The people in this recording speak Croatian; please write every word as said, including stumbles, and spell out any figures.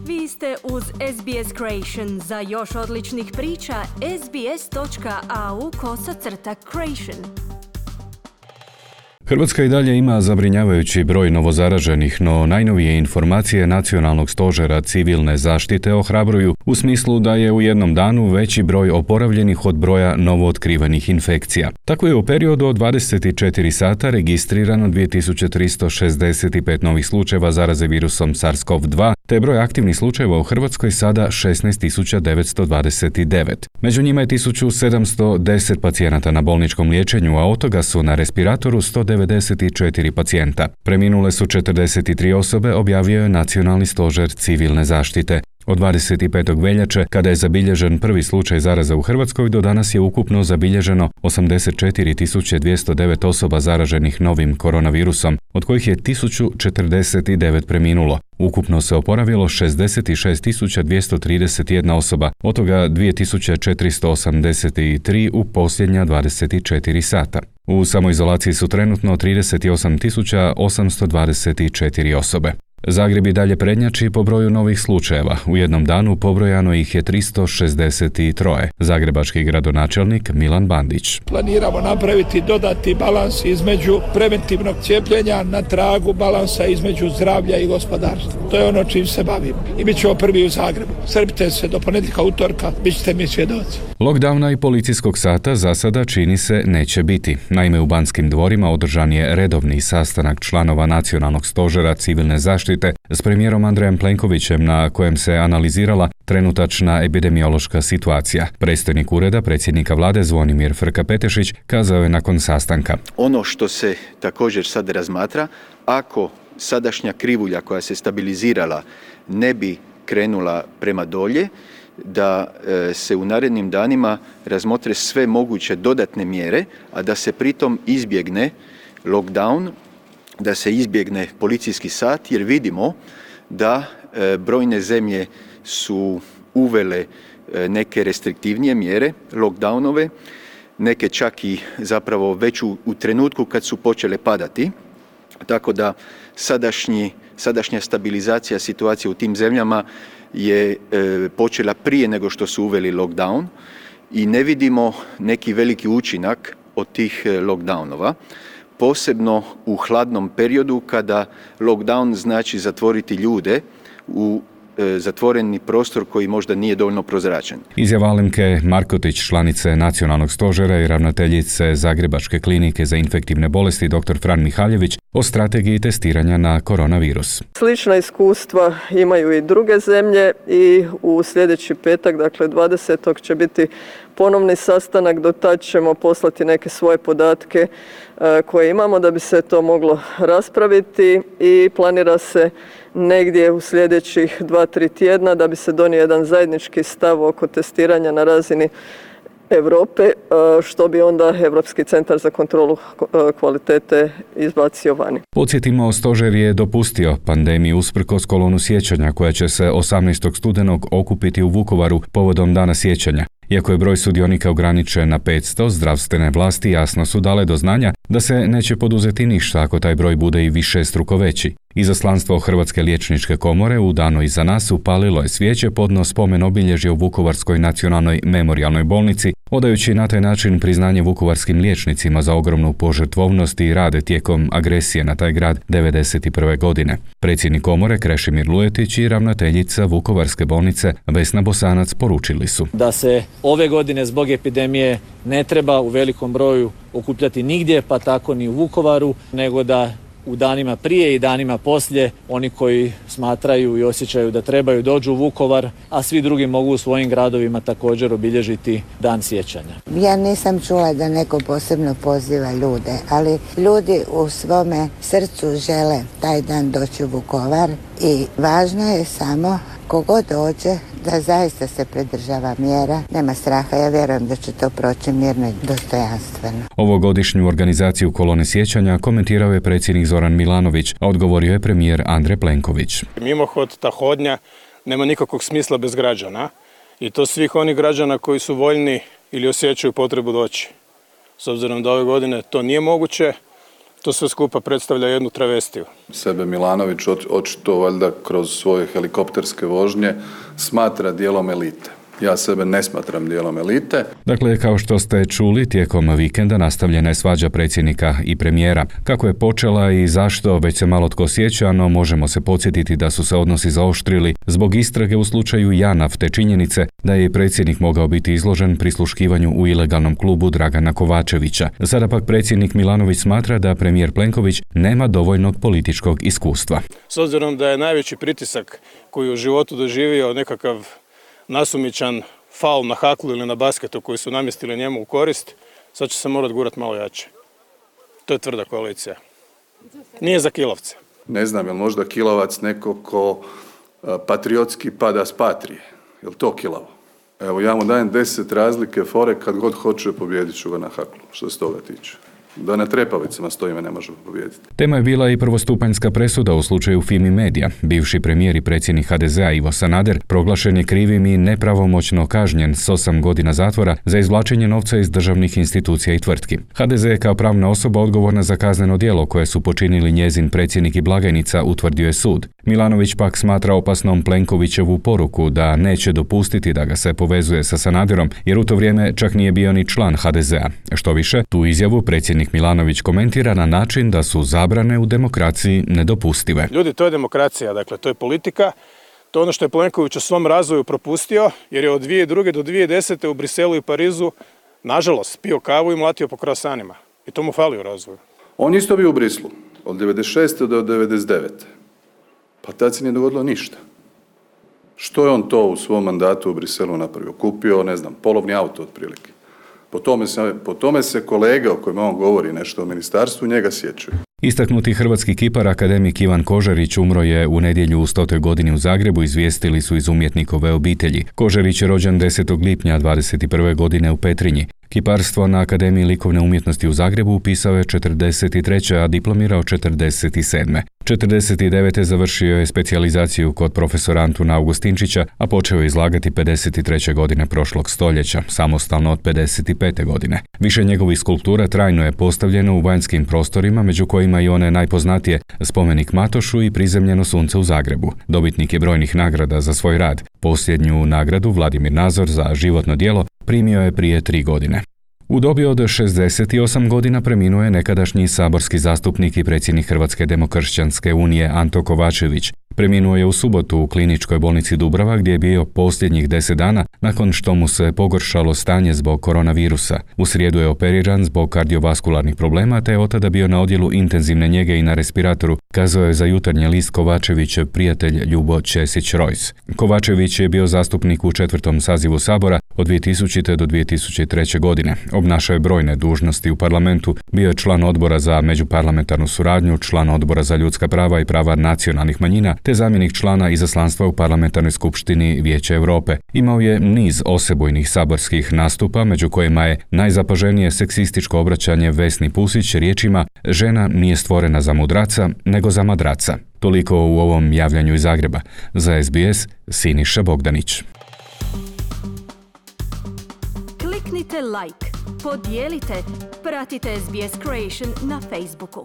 Vi ste uz S B S Creation. Za još odličnih priča, sbs.au kosacrta creation. Hrvatska i dalje ima zabrinjavajući broj novozaraženih, no najnovije informacije Nacionalnog stožera civilne zaštite ohrabruju u smislu da je u jednom danu veći broj oporavljenih od broja novootkrivenih infekcija. Tako je u periodu od dvadeset četiri sata registrirano dvije tisuće tristo šezdeset pet novih slučajeva zaraze virusom SARS-C o V dva, te broj aktivnih slučajeva u Hrvatskoj sada šesnaest tisuća devetsto dvadeset devet. Među njima je tisuću sedamsto deset pacijenata na bolničkom liječenju, a od toga su na respiratoru sto devedeset četiri pacijenta. Preminule su četrdeset tri osobe, objavio je Nacionalni stožer civilne zaštite. Od dvadeset petog veljače, kada je zabilježen prvi slučaj zaraze u Hrvatskoj, do danas je ukupno zabilježeno osamdeset četiri tisuće dvjesto devet osoba zaraženih novim koronavirusom, od kojih je tisuću četrdeset devet preminulo. Ukupno se oporavilo šezdeset šest tisuća dvjesto trideset jedna osoba, od toga dvije tisuće četiristo osamdeset tri u posljednja dvadeset četiri sata. U samoizolaciji su trenutno trideset osam tisuća osamsto dvadeset četiri osobe. Zagreb i dalje prednjači po broju novih slučajeva. U jednom danu pobrojano ih je tristo šezdeset tri. Zagrebački gradonačelnik Milan Bandić. Planiramo napraviti dodati balans između preventivnog cijepljenja na tragu balansa između zdravlja i gospodarstva. To je ono čim se bavimo. I bit ćemo prvi u Zagrebu. Strpite se do ponedjeljka, utorka, bit ćete mi svjedoci. Lockdowna i policijskog sata za sada čini se neće biti. Naime, u Banskim dvorima održan je redovni sastanak članova Nacionalnog stožera civilne zaštite s premijerom Andrejem Plenkovićem, na kojem se analizirala trenutačna epidemiološka situacija. Predstojnik ureda predsjednika vlade Zvonimir Frka-Petešić kazao je nakon sastanka: Ono što se također sad razmatra, ako sadašnja krivulja koja se stabilizirala ne bi krenula prema dolje, da se u narednim danima razmotre sve moguće dodatne mjere, a da se pritom izbjegne lockdown, da se izbjegne policijski sat, jer vidimo da brojne zemlje su uvele neke restriktivnije mjere, lockdownove, neke čak i zapravo već u, u trenutku kad su počele padati. Tako da sadašnji, sadašnja stabilizacija situacije u tim zemljama je e, počela prije nego što su uveli lockdown i ne vidimo neki veliki učinak od tih lockdownova. Posebno u hladnom periodu kada lockdown znači zatvoriti ljude u e, zatvoreni prostor koji možda nije dovoljno prozračen. Izjava Alemke Markotić, članice Nacionalnog stožera i ravnateljice Zagrebačke klinike za infektivne bolesti dr. Fran Mihaljević o strategiji testiranja na koronavirus. Slična iskustva imaju i druge zemlje i u sljedeći petak, dakle dvadesetog će biti ponovni sastanak, do tad ćemo poslati neke svoje podatke koje imamo da bi se to moglo raspraviti i planira se negdje u sljedećih dva, tri tjedna da bi se donio jedan zajednički stav oko testiranja na razini Europe, što bi onda Europski centar za kontrolu kvalitete izbacio vani. Podsjetimo, stožer je dopustio pandemiju usprkos kolonu sjećanja koja će se osamnaestog studenog okupiti u Vukovaru povodom Dana sjećanja. Iako je broj sudionika ograničen na petsto, zdravstvene vlasti jasno su dale do znanja da se neće poduzeti ništa ako taj broj bude i višestruko veći. Izaslanstvo Hrvatske liječničke komore u danu iza nas upalilo je svijeće podno spomen obilježja u Vukovarskoj nacionalnoj memorijalnoj bolnici, odajući na taj način priznanje vukovarskim liječnicima za ogromnu požrtvovnost i rade tijekom agresije na taj grad devedeset prve. godine. Predsjednik komore Krešimir Lujetić i ravnateljica Vukovarske bolnice Vesna Bosanac poručili su da se ove godine zbog epidemije ne treba u velikom broju okupljati nigdje, pa tako ni u Vukovaru, nego da u danima prije i danima poslije oni koji smatraju i osjećaju da trebaju dođu u Vukovar, a svi drugi mogu u svojim gradovima također obilježiti Dan sjećanja. Ja nisam čula da neko posebno poziva ljude, ali ljudi u svome srcu žele taj dan doći u Vukovar i važno je samo kogo dođe da zaista se pridržava mjera, nema straha, ja vjerujem da će to proći mirno i dostojanstveno. Ovogodišnju organizaciju kolone sjećanja komentirao je predsjednik Zoran Milanović, a odgovorio je premijer Andrej Plenković. Mimohod, ta hodnja nema nikakvog smisla bez građana i to svih onih građana koji su voljni ili osjećaju potrebu doći. S obzirom da ove godine to nije moguće, To sve skupa predstavlja jednu travestiju. Sebe Milanović očito valjda kroz svoje helikopterske vožnje smatra dijelom elite. Ja sebe ne smatram dijelom elite. Dakle, kao što ste čuli, tijekom vikenda nastavljena je svađa predsjednika i premijera. Kako je počela i zašto, već se malo tko sjeća, no možemo se podsjetiti da su se odnosi zaoštrili zbog istrage u slučaju JANAF te činjenice da je predsjednik mogao biti izložen prisluškivanju u ilegalnom klubu Dragana Kovačevića. Sada pak predsjednik Milanović smatra da premijer Plenković nema dovoljnog političkog iskustva. S obzirom da je najveći pritisak koji je u životu doživio nekakav nasumičan faul na haklu ili na basketu koji su namjestili njemu u korist, sad će se morat gurat malo jače. To je tvrda koalicija. Nije za kilovce. Ne znam, je li možda kilovac neko ko patriotski pada s patrije? Je li to kilavo? Evo, ja mu dajem deset razlike fore, kad god hoće pobijedit ću ga na haklu, što se toga tiče. Da na trepavicama stojime ne možemo pobijediti. Tema je bila i prvostupanjska presuda u slučaju Fimi Media. Bivši premijer i predsjednik ha de zea Ivo Sanader proglašen je krivim i nepravomoćno kažnjen s osam godina zatvora za izvlačenje novca iz državnih institucija i tvrtki. ha de ze je kao pravna osoba odgovorna za kazneno djelo koje su počinili njezin predsjednik i blagajnica, utvrdio je sud. Milanović pak smatra opasnom Plenkovićevu poruku da neće dopustiti da ga se povezuje sa Sanaderom, jer u to vrijeme čak nije bio ni član ha de zea. Što više, tu izjavu predsjednik Milanović komentira na način da su zabrane u demokraciji nedopustive. Ljudi, to je demokracija, dakle to je politika. To je ono što je Plenković u svom razvoju propustio, jer je od dvije tisuće druge do dvije tisuće desete u Briselu i Parizu, nažalost, pio kavu i mlatio po kroasanima. I to mu fali u razvoju. On isto bio u Brislu od devedeset šeste do devedeset devete. Pa tad se nije dogodilo ništa. Što je on to u svom mandatu u Briselu napravio? Kupio, ne znam, polovni auto otprilike. Po tome se, po tome se kolege o kojima on govori nešto o ministarstvu njega sjećaju. Istaknuti hrvatski kipar akademik Ivan Kožarić umro je u nedjelju u stotoj godini u Zagrebu, izvijestili su iz umjetnikove obitelji. Kožarić je rođen desetog lipnja dvadeset prve godine u Petrinji. Kiparstvo na Akademiji likovne umjetnosti u Zagrebu upisao je četrdeset treće, a diplomirao četrdeset sedme. četrdeset devete završio je specijalizaciju kod profesora Antuna Augustinčića, a počeo je izlagati pedeset treće godine prošlog stoljeća, samostalno od pedeset pete godine. Više njegovih skulptura trajno je postavljeno u vanjskim prostorima, među kojima i one najpoznatije spomenik Matošu i prizemljeno sunce u Zagrebu. Dobitnik je brojnih nagrada za svoj rad. Posljednju nagradu Vladimir Nazor za životno djelo primio je prije tri godine. U dobi od šezdeset osam godina preminuo je nekadašnji saborski zastupnik i predsjednik Hrvatske demokršćanske unije Anto Kovačević. Preminuo je u subotu u kliničkoj bolnici Dubrava gdje je bio posljednjih deset dana nakon što mu se pogoršalo stanje zbog koronavirusa. U srijedu je operiran zbog kardiovaskularnih problema te je od tada bio na odjelu intenzivne njege i na respiratoru, kazao je za Jutarnji list Kovačevićev prijatelj Ljubo Ćesić-Rojs. Kovačević je bio zastupnik u četvrtom sazivu Sabora od dvije tisućite do dvije tisuće treće godine. Obnašao je brojne dužnosti u parlamentu, bio je član odbora za međuparlamentarnu suradnju, član odbora za ljudska prava i prava nacionalnih manjina, te zamjenik člana izaslanstva u parlamentarnoj skupštini Vijeća Europe. Imao je niz osebujnih saborskih nastupa, među kojima je najzapaženije seksističko obraćanje Vesni Pusić riječima "Žena nije stvorena za mudraca, nego za madraca". Toliko u ovom javljanju iz Zagreba. Za es be es, Siniša Bogdanić. Kliknite like, podijelite, pratite es be es Creation na Facebooku.